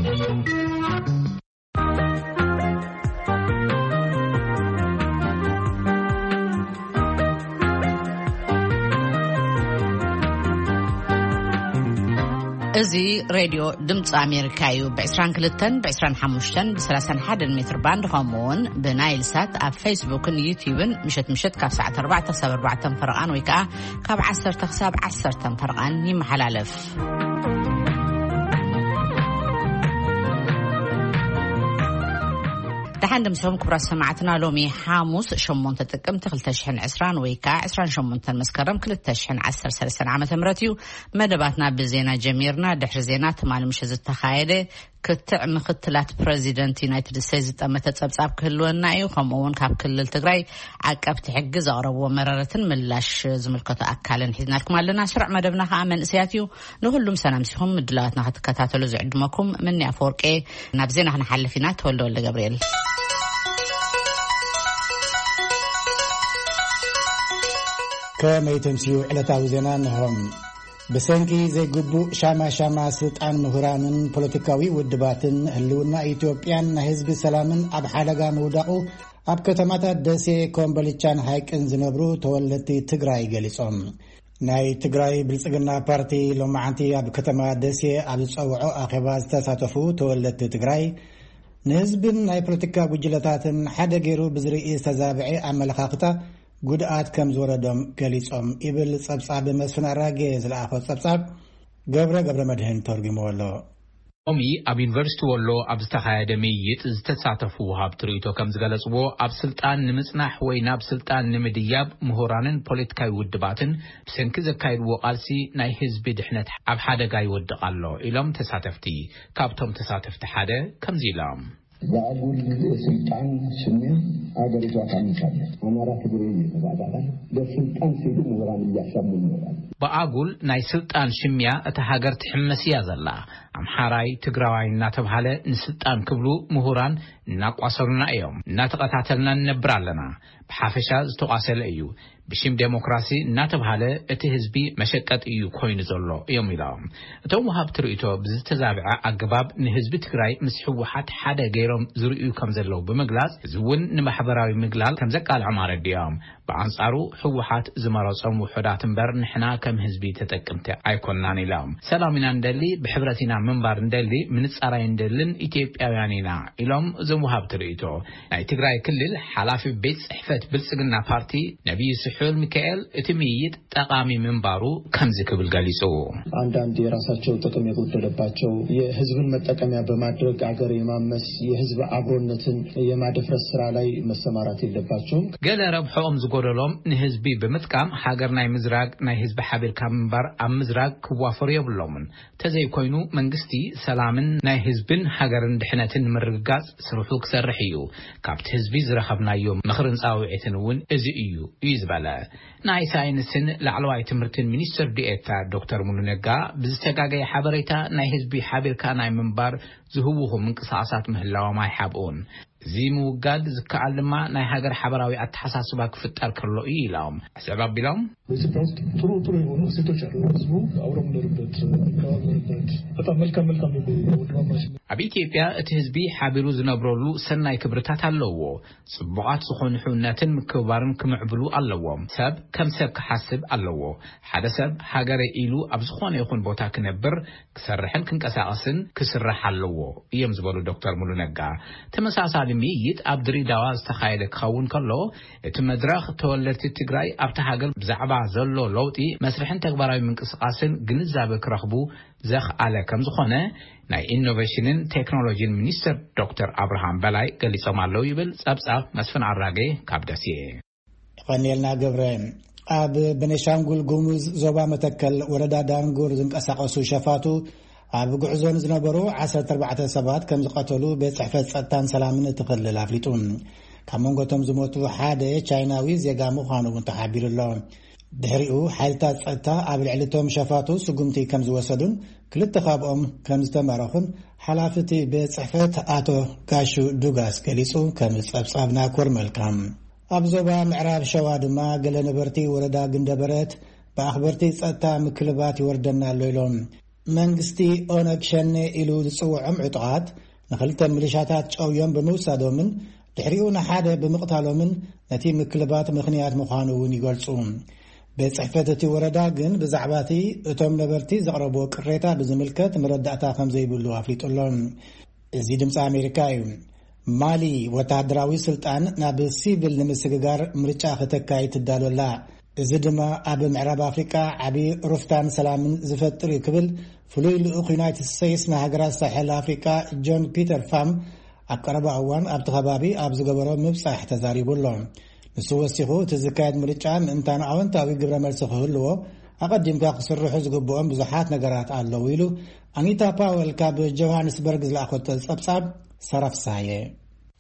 እዚ ሬድዮ ድምፂ ኣሜሪካ እዩ። ብ22፣ ብ25፣ ብ31 ሜትር ባንድ፣ ከምኡ እውን ብናይል ሳት ኣብ ፌስቡክን ዩቲዩብን ምሸት ምሸት ካብ ሰዓት ኣርባዕተ ክሳብ ኣርባዕተ ፈረቓን ወይ ከዓ ካብ ዓሰርተ ክሳብ ዓሰርተ ፈረቓን ይመሓላለፍ። ደሓን ድምፅኹም ክቡራት ሰማዕትና። ሎሚ ሓሙስ ሸሞንተ ጥቅምቲ ክልተ ሽሕን ዕስራን ወይ ከዓ ዕስራን ሸሞንተን መስከረም ክልተ ሽሕን ዓሰርተ ሰለስተን ዓመተ ምህረት እዩ። መደባትና ብዜና ጀሚርና። ድሕሪ ዜና ትማሊ ምሸት ዝተኻየደ ክትዕ ምክትላት ፕረዚደንት ዩናይትድ ስቴትስ ዝጠመተ ጸብጻብ ክህልወና እዩ። ከምኡ እውን ካብ ክልል ትግራይ ዓቀብቲ ሕጊ ዘቕረብዎ መረረትን ምላሽ ዝምልከቶ ኣካልን ሒዝናልኩም ኣለና። ስሩዕ መደብና ከዓ መንእሰያት እዩ። ንኹሉም ሰላም ሲኹም ምድላዋትና ክትከታተሉ ዝዕድመኩም ምኒ ኣፈወርቄ። ናብ ዜና ክንሓልፍ ኢና። ተወልደ ወልደ ገብርኤል። ከመይ ተምስዩ ዕለታዊ ዜና እንሆ። ብሰንኪ ዘይግቡእ ሻማ ሻማ ስልጣን ምሁራንን ፖለቲካዊ ውድባትን ህልውና ኢትዮጵያን ናይ ህዝቢ ሰላምን ኣብ ሓደጋ ምውዳቑ ኣብ ከተማታት ደሴ፣ ኮምቦልቻን ሃይቅን ዝነብሩ ተወለድቲ ትግራይ ገሊጾም። ናይ ትግራይ ብልጽግና ፓርቲ ሎማዓንቲ ኣብ ከተማ ደሴ ኣብ ዝጸውዖ ኣኼባ ዝተሳተፉ ተወለድቲ ትግራይ፣ ንህዝብን ናይ ፖለቲካ ጉጅለታትን ሓደ ገይሩ ብዝርኢ ዝተዛብዐ ኣመለኻኽታ ጉድኣት ከም ዝወረዶም ገሊጾም ይብል ጸብጻብ መስፍን ኣራጌ ዝለኣኾ ጸብጻብ ገብረ ገብረ መድህን ተርጉምዎ ኣሎ። ሎሚ ኣብ ዩኒቨርሲቲ ወሎ ኣብ ዝተኻየደ ምይይጥ ዝተሳተፉ ወሃብቲ ርእይቶ ከም ዝገለጽዎ፣ ኣብ ስልጣን ንምጽናሕ ወይ ናብ ስልጣን ንምድያብ ምሁራንን ፖለቲካዊ ውድባትን ብሰንኪ ዘካይድዎ ቃልሲ ናይ ህዝቢ ድሕነት ኣብ ሓደጋ ይወድቕ ኣሎ ኢሎም ተሳተፍቲ። ካብቶም ተሳተፍቲ ሓደ ከምዚ ኢሎም። በአጉል የስልጣን ሽሚያ አገሪቷ ታምሳለች። አማራ ትግሬ እየተባባለ በስልጣን ሲሉ ምሁራን እያሳሙ ይኖራል። ብኣጉል ናይ ስልጣን ሽሚያ እታ ሃገር ትሕመስ እያ ዘላ። ኣምሓራይ፣ ትግራዋይ እናተብሃለ ንስልጣን ክብሉ ምሁራን እናቋሰሉና እዮም። እናተቐታተልና ንነብር ኣለና። ብሓፈሻ ዝተቋሰለ እዩ። ብሽም ዴሞክራሲ እናተብሃለ እቲ ህዝቢ መሸቀጥ እዩ ኮይኑ ዘሎ እዮም ኢሎም። እቶም ወሃብቲ ርእይቶ ብዝተዛብዐ ኣገባብ ንህዝቢ ትግራይ ምስ ህወሓት ሓደ ገይሮም ዝርእዩ ከም ዘለዉ ብምግላጽ፣ እዚ እውን ንማሕበራዊ ምግላል ከም ዘቃልዖም ኣረዲኦም። ብኣንጻሩ ህወሓት ዝመረጾም ውሑዳት እምበር ንሕና ከም ህዝቢ ተጠቅምቲ ኣይኮናን ኢሎም። ሰላም ኢና እንደሊ፣ ብሕብረት ኢና ምንባር እንደሊ፣ ምንጻር ኣይንደልን፣ ኢትዮጵያውያን ኢና ኢሎም እዞም ወሃብቲ ርእይቶ። ናይ ትግራይ ክልል ሓላፊ ቤት ጽሕፈት ብልጽግና ፓርቲ ነቢዩ ስሑል ሚካኤል እቲ ምይይጥ ጠቓሚ ምንባሩ ከምዚ ክብል ገሊጹ። አንዳንድ የራሳቸው ጥቅም የጎደለባቸው የህዝብን መጠቀሚያ በማድረግ አገር የማመስ የህዝብ አብሮነትን የማደፍረስ ስራ ላይ መሰማራት የለባቸውም። ገለ ረብሖኦም ዝጎደሎም ንህዝቢ ብምጥቃም ሃገር ናይ ምዝራግ፣ ናይ ህዝቢ ሓቢርካ ምንባር ኣብ ምዝራግ ክዋፈሩ የብሎምን። ተዘይኮይኑ መንግስቲ ሰላምን ናይ ህዝብን ሃገርን ድሕነትን ንምርግጋጽ ስርሑ ክሰርሕ እዩ። ካብቲ ህዝቢ ዝረኸብናዮ ምኽርን ጻውዒትን እውን እዚ እዩ እዩ ዝበለ። ናይ ሳይንስን ላዕለዋይ ትምህርትን ሚኒስትር ዲኤታ ዶክተር ሙሉ ነጋ ብዝተጋገየ ሓበሬታ ናይ ህዝቢ ሓቢርካ ናይ ምንባር ዝህውኹ ምንቅስቓሳት ምህላዎም ኣይሓብኡን። እዚ ምውጋድ ዝከኣል ድማ ናይ ሃገር ሓበራዊ ኣተሓሳስባ ክፍጠር ከሎ እዩ ኢሎም። ሕስብ ኣቢሎም። በኢትዮጵያ ውስጥ ጥሩ ጥሩ የሆኑ እሴቶች አሉ። ህዝቡ አብሮ የሚኖርበት፣ የሚከባበርበት፣ በጣም መልካም መልካም የሆኑ ወንድማማች ኣብ ኢትዮጵያ እቲ ህዝቢ ሓቢሩ ዝነብረሉ ሰናይ ክብርታት ኣለዎ። ጽቡቓት ዝኾኑ ሕውነትን ምክብባርን ክምዕብሉ ኣለዎም። ሰብ ከም ሰብ ክሓስብ ኣለዎ። ሓደ ሰብ ሃገረ ኢሉ ኣብ ዝኾነ ይኹን ቦታ ክነብር፣ ክሰርሕን ክንቀሳቐስን ክስራሕ ኣለዎ እዮም ዝበሉ ዶክተር ሙሉ ነጋ። ተመሳሳሊ ምይይጥ ኣብ ድሬዳዋ ዝተኻየደ ክኸውን ከሎ፣ እቲ መድረኽ ተወለድቲ ትግራይ ኣብቲ ሃገር ብዛዕባ ዘሎ ለውጢ መስርሕን ተግባራዊ ምንቅስቓስን ግንዛበ ክረኽቡ ዘኽኣለ ከም ዝኾነ ናይ ኢኖቬሽንን ቴክኖሎጂን ሚኒስትር ዶክተር ኣብርሃም በላይ ገሊጾም ኣለዉ ይብል ጸብጻብ መስፍን ኣራጌ ካብ ደሴ። የቐንየልና ገብረ። ኣብ ቤኒሻንጉል ጉሙዝ ዞባ መተከል ወረዳ ዳንጉር ዝንቀሳቐሱ ሸፋቱ ኣብ ጉዕዞ ንዝነበሩ ዓሰርተ ኣርባዕተ ሰባት ከም ዝቐተሉ ቤት ጽሕፈት ጸጥታን ሰላምን እቲ ክልል ኣፍሊጡ። ካብ መንጎ እቶም ዝሞቱ ሓደ ቻይናዊ ዜጋ ምዃኑ እውን ተሓቢሩ ኣሎ። ድሕሪኡ ሓይልታት ጸጥታ ኣብ ልዕሊ እቶም ሸፋቱ ስጉምቲ ከም ዝወሰዱን ክልተ ካብኦም ከም ዝተማረኹን ሓላፊ እቲ ቤት ጽሕፈት ኣቶ ጋሹ ዱጋስ ገሊጹ። ከም ጸብጻብና ኮር መልካም። ኣብ ዞባ ምዕራብ ሸዋ ድማ ገለ ነበርቲ ወረዳ ግንደበረት ብኣኽበርቲ ጸጥታ ምክልባት ይወርደና ኣሎ ኢሎም። መንግስቲ ኦነግ ሸኔ ኢሉ ዝጽውዖም ዕጡቓት ንኽልተ ሚሊሻታት ጨውዮም ብምውሳዶምን ድሕሪኡ ንሓደ ብምቕታሎምን ነቲ ምክልባት ምኽንያት ምዃኑ እውን ይገልጹ። ቤት ጽሕፈት እቲ ወረዳ ግን ብዛዕባ እቲ እቶም ነበርቲ ዘቕረብዎ ቅሬታ ብዝምልከት መረዳእታ ከም ዘይብሉ ኣፍሊጡ ኣሎ። እዚ ድምፂ ኣሜሪካ እዩ። ማሊ ወተሃደራዊ ስልጣን ናብ ሲቪል ንምስግጋር ምርጫ ከተካይድ ትዳሎ ኣላ። እዚ ድማ ኣብ ምዕራብ ኣፍሪቃ ዓቢ ሩፍታን ሰላምን ዝፈጥር እዩ ክብል ፍሉይ ልኡኽ ዩናይትድ ስቴትስ ንሃገራት ሳሕል ኣፍሪቃ ጆን ፒተር ፋም ኣብ ቀረባ እዋን ኣብቲ ከባቢ ኣብ ዝገበሮ ምብጻሕ ተዛሪቡ ኣሎ። ንሱ ወሲኹ እቲ ዝካየድ ምርጫ ምእንታን ኣወንታዊ ግብረ መልሲ ክህልዎ ኣቐዲምካ ክስርሑ ዝግብኦም ብዙሓት ነገራት ኣለዉ ኢሉ ኣኒታ ፓወል ካብ ጆሃንስበርግ ዝለኣኸቶ ጸብጻብ። ሰራ ፍስሃየ።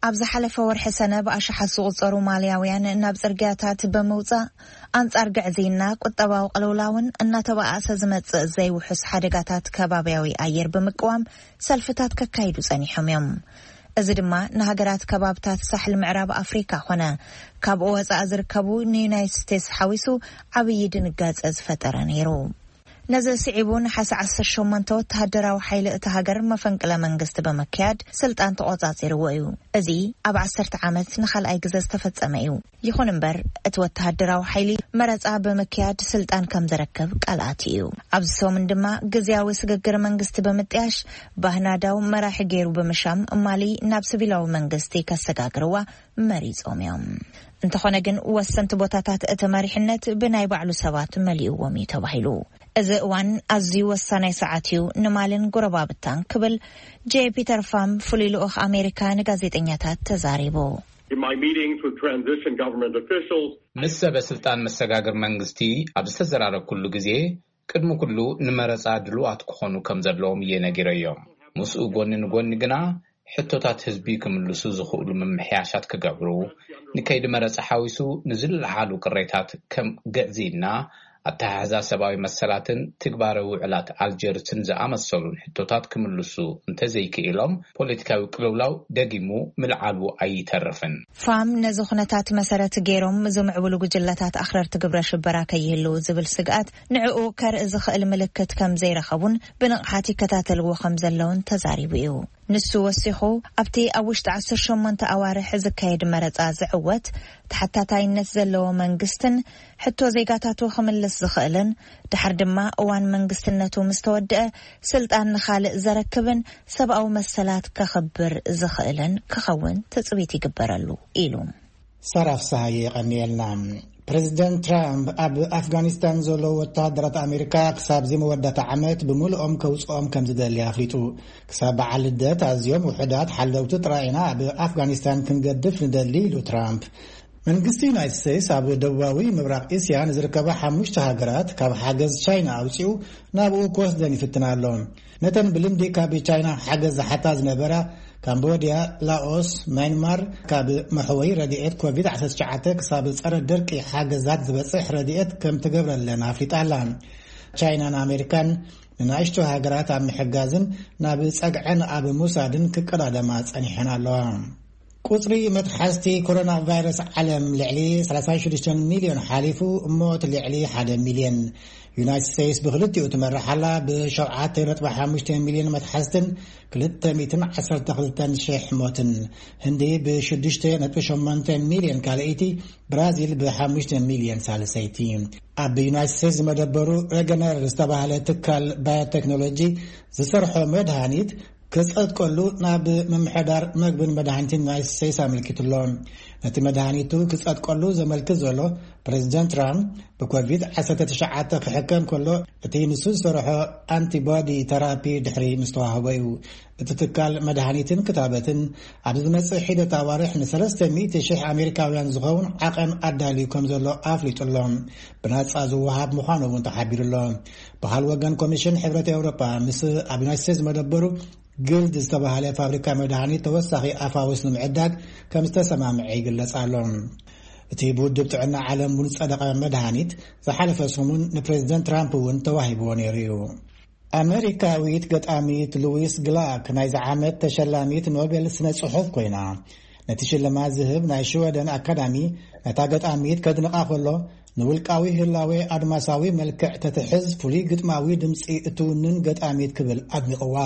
ኣብ ዝሓለፈ ወርሒ ሰነ ብኣሽሓት ዝቑጸሩ ማልያውያን ናብ ጽርግያታት ብምውጻእ ኣንጻር ግዕዝይና፣ ቁጠባዊ ቅልውላውን እናተባኣሰ ዝመጽእ ዘይውሑስ ሓደጋታት ከባብያዊ ኣየር ብምቅዋም ሰልፍታት ከካይዱ ጸኒሖም እዮም። እዚ ድማ ንሃገራት ከባብታት ሳሕል ምዕራብ ኣፍሪካ ኮነ ካብኡ ወጻኢ ዝርከቡ ንዩናይትድ ስቴትስ ሓዊሱ ዓብዪ ድንጋጸ ዝፈጠረ ነይሩ። ነዚ ስዒቡ ነሓሰ ዓሰርተ ሸሞንተ ወተሃደራዊ ሓይሊ እቲ ሃገር መፈንቅለ መንግስቲ ብምክያድ ስልጣን ተቖጻጺርዎ እዩ። እዚ ኣብ ዓሰርተ ዓመት ንኻልኣይ ግዘ ዝተፈጸመ እዩ። ይኹን እምበር እቲ ወተሃደራዊ ሓይሊ መረጻ ብምክያድ ስልጣን ከም ዘረክብ ቃል ኣትዩ እዩ። ኣብዚ ሰሙን ድማ ግዝያዊ ስግግር መንግስቲ ብምጥያሽ ባህናዳው መራሒ ገይሩ ብምሻም ማሊ ናብ ሲቪላዊ መንግስቲ ከሰጋግርዋ መሪጾም እዮም። እንተኾነ ግን ወሰንቲ ቦታታት እቲ መሪሕነት ብናይ ባዕሉ ሰባት መሊእዎም እዩ ተባሂሉ። እዚ እዋን ኣዝዩ ወሳናይ ሰዓት እዩ ንማልን ጎረባብታን ክብል ጄ ፒተር ፋም ፍሉይ ልኡኽ ኣሜሪካ ንጋዜጠኛታት ተዛሪቡ። In my meetings with transition government officials, ምስ ሰበ ስልጣን መሰጋግር መንግስቲ ኣብ ዝተዘራረብኩሉ ግዜ ቅድሚ ኩሉ ንመረጻ ድሉዋት ክኾኑ ከም ዘለዎም እየ ነጊረዮም። ምስኡ ጎኒ ንጎኒ ግና ሕቶታት ህዝቢ ክምልሱ ዝኽእሉ ምምሕያሻት ክገብሩ፣ ንከይዲ መረጻ ሓዊሱ ንዝለዓሉ ቅሬታት ከም ግዕዝይና፣ ኣተሓሕዛ ሰብኣዊ መሰላትን ትግባረ ውዕላት ኣልጀርስን ዝኣመሰሉን ሕቶታት ክምልሱ እንተዘይክኢሎም፣ ፖለቲካዊ ቅልውላው ደጊሙ ምልዓሉ ኣይተርፍን። ፋም ነዚ ኩነታት መሰረት ገይሮም ዝምዕብሉ ጉጅለታት ኣኽረርቲ ግብረ ሽበራ ከይህልው ዝብል ስግኣት ንዕኡ ከርኢ ዝኽእል ምልክት ከም ዘይረኸቡን ብንቕሓት ይከታተልዎ ከም ዘለውን ተዛሪቡ እዩ። ንሱ ወሲኹ ኣብቲ ኣብ ውሽጢ ዓሰርተ ሸሞንተ ኣዋርሕ ዝካየድ መረጻ ዝዕወት ተሓታታይነት ዘለዎ መንግስትን ሕቶ ዜጋታቱ ክምልስ ዝኽእልን ድሓር ድማ እዋን መንግስትነቱ ምስ ተወድአ ስልጣን ንኻልእ ዘረክብን ሰብኣዊ መሰላት ከኽብር ዝኽእልን ክኸውን ትጽቢት ይግበረሉ ኢሉ። ሰራ ፍስሃየ የቐንየልና። ፕሬዚደንት ትራምፕ ኣብ ኣፍጋኒስታን ዘለዉ ወተሃደራት ኣሜሪካ ክሳብ እዚ መወዳእታ ዓመት ብምልኦም ከውፅኦም ከም ዝደሊ ኣፍሊጡ። ክሳብ በዓል ልደት ኣዝዮም ውሑዳት ሓለውቲ ጥራይ ኢና ኣብ ኣፍጋኒስታን ክንገድፍ ንደሊ ኢሉ ትራምፕ። መንግስቲ ዩናይትድ ስቴትስ ኣብ ደቡባዊ ምብራቕ እስያ ንዝርከባ ሓሙሽተ ሃገራት ካብ ሓገዝ ቻይና ኣውፂኡ ናብኡ ክወስደን ይፍትን ኣሎ። ነተን ብልምዲ ካብ ቻይና ሓገዝ ዝሓታ ዝነበራ ካምቦድያ፣ ላኦስ፣ ማይንማር ካብ መሕወይ ረድኤት ኮቪድ ዓሰርተ ትሽዓተ ክሳብ ጸረ ደርቂ ሓገዛት ዝበጽሕ ረድኤት ከም ትገብረለን ኣፍሊጣ ኣላ። ቻይናን ኣሜሪካን ንናእሽቱ ሃገራት ኣብ ምሕጋዝን ናብ ጸግዐን ኣብ ምውሳድን ክቀዳደማ ጸኒሐን ኣለዋ። ቁጽሪ መትሓዝቲ ኮሮና ቫይረስ ዓለም ልዕሊ ሰላሳ ሽዱሽተ ሚልዮን ሓሊፉ፣ ሞት ልዕሊ ሓደ ሚልዮን። ዩናይትድ ስቴትስ ብክልቲኡ ትመርሕ ኣላ፣ ብ ሸውዓተ ነጥቢ ሓሙሽተ ሚልዮን መትሓዝትን ክልተ ሚእትን ዓሰርተ ክልተን ሽሕ ሞትን። ህንዲ ብ ሽዱሽተ ነጥቢ ሸሞንተ ሚልዮን ካልኣይቲ፣ ብራዚል ብ ሓሙሽተ ሚልዮን ሳልሰይቲ። ኣብ ዩናይትድ ስቴትስ ዝመደበሩ ሬገነር ዝተባህለ ትካል ባዮቴክኖሎጂ ዝሰርሖ መድሃኒት ክጸድቀሉ ናብ ምምሕዳር መግብን መድሃኒትን ዩናይትድ ስቴትስ ኣመልኪቱ ኣሎ። ነቲ መድሃኒቱ ክጸድቀሉ ዘመልክት ዘሎ ፕሬዚደንት ትራምፕ ብኮቪድ ዓሰርተ ትሽዓተ ክሕከም ከሎ እቲ ንሱ ዝሰርሖ ኣንቲቦዲ ተራፒ ድሕሪ ምስ ተዋህቦ እዩ። እቲ ትካል መድሃኒትን ክታበትን ኣብ ዝመጽእ ሒደት ኣዋርሕ ንሰለስተ ሚእቲ ሽሕ ኣሜሪካውያን ዝኸውን ዓቐን ኣዳልዩ ከም ዘሎ ኣፍሊጡ ኣሎ። ብናጻ ዝወሃብ ምዃኑ እውን ተሓቢሩ ኣሎ። ብኻል ወገን ኮሚሽን ሕብረት ኤውሮጳ ምስ ኣብ ዩናይትድ ስቴትስ መደበሩ ግልድ ዝተባህለ ፋብሪካ መድሃኒት ተወሳኺ ኣፋውስ ንምዕዳግ ከም ዝተሰማምዐ ይግለጽ ኣሎ። እቲ ብውድብ ጥዕና ዓለም እውን ዝጸደቐ መድሃኒት ዝሓለፈ ሰሙን ንፕሬዚደንት ትራምፕ እውን ተዋሂብዎ ነይሩ እዩ። ኣመሪካዊት ገጣሚት ሉዊስ ግላክ ናይዚ ዓመት ተሸላሚት ኖቤል ስነ ጽሑፍ ኮይና፣ ነቲ ሽልማት ዝህብ ናይ ሽወደን ኣካዳሚ ነታ ገጣሚት ከድንቓ ከሎ፣ ንውልቃዊ ህላዌ ኣድማሳዊ መልክዕ ተትሕዝ፣ ፍሉይ ግጥማዊ ድምጺ እትውንን ገጣሚት ክብል ኣድኒቕዋ።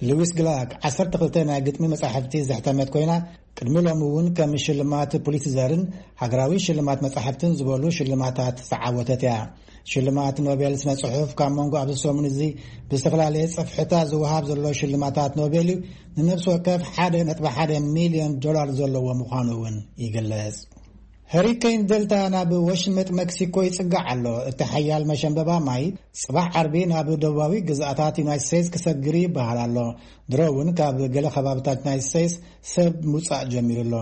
ሉዊስ ግላክ ዓሰርተ ክልተ ናይ ግጥሚ መጻሕፍቲ ዘሕተመት ኮይና፣ ቅድሚ ሎሚ እውን ከም ሽልማት ፑሊትዘርን ሃገራዊ ሽልማት መጻሕፍትን ዝበሉ ሽልማታት ዝዓወተት እያ። ሽልማት ኖቤል ስነ ጽሑፍ ካብ መንጎ ኣብዚ ሰሙን እዚ ብዝተፈላለየ ጽፍሕታት ዝወሃብ ዘሎ ሽልማታት ኖቤል እዩ። ንነፍሲ ወከፍ ሓደ ነጥቢ ሓደ ሚልዮን ዶላር ዘለዎ ምዃኑ እውን ይግለጽ። ሀሪኬን ደልታ ናብ ወሽመጥ መክሲኮ ይጽጋዕ ኣሎ። እቲ ሓያል መሸንበባ ማይ ጽባሕ ዓርቢ ናብ ደቡባዊ ግዝኣታት ዩናይትድ ስቴትስ ክሰግር ይበሃል ኣሎ። ድሮ እውን ካብ ገለ ከባብታት ዩናይትድ ስቴትስ ሰብ ምውጻእ ጀሚሩ ኣሎ።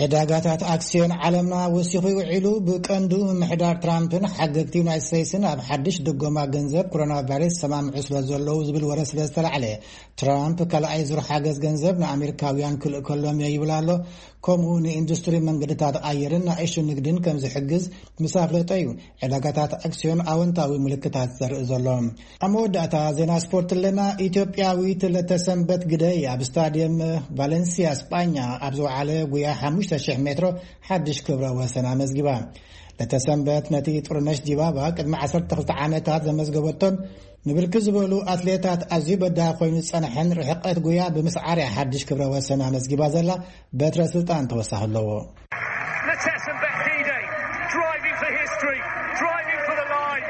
ዕዳጋታት ኣክስዮን ዓለምና ወሲኹ ውዒሉ፣ ብቀንዱ ምምሕዳር ትራምፕን ሓገግቲ ዩናይትድ ስቴትስን ኣብ ሓድሽ ድጎማ ገንዘብ ኮሮና ቫይረስ ሰማምዑ ስለ ዘለዉ ዝብል ወረ ስለ ዝተላዕለ፣ ትራምፕ ካልኣይ ዙር ሓገዝ ገንዘብ ንኣሜሪካውያን ክልእከሎም እየ ይብል ኣሎ። ከምኡ ንኢንዱስትሪ መንገድታት ኣየርን ንኣሽቱ ንግድን ከም ዝሕግዝ ምስ ኣፍለጠ እዩ ዕዳጋታት ኣክስዮን ኣወንታዊ ምልክታት ዘርኢ ዘሎ። ኣብ መወዳእታ ዜና ስፖርት ኣለና። ኢትዮጵያዊት ለተሰንበት ግደይ ኣብ ስታዲየም ቫለንሲያ ስጳኛ ኣብ ዝወዓለ ጉያ ሓሙሽተ ሽሕ ሜትሮ ሓድሽ ክብረ ወሰን ኣመዝጊባ። ለተሰንበት ነቲ ጥሩነሽ ዲባባ ቅድሚ ዓሰርተ ክልተ ዓመታት ዘመዝገበቶን ንብርክት ዝበሉ ኣትሌታት ኣዝዩ በዳሂ ኮይኑ ዝጸንሐን ርሕቀት ጉያ ብምስዓር እያ ሓድሽ ክብረ ወሰን ኣመዝጊባ ዘላ። በትረ ስልጣን ተወሳኺ ኣለዎ። Letessenbet Gide driving for history, driving for the line.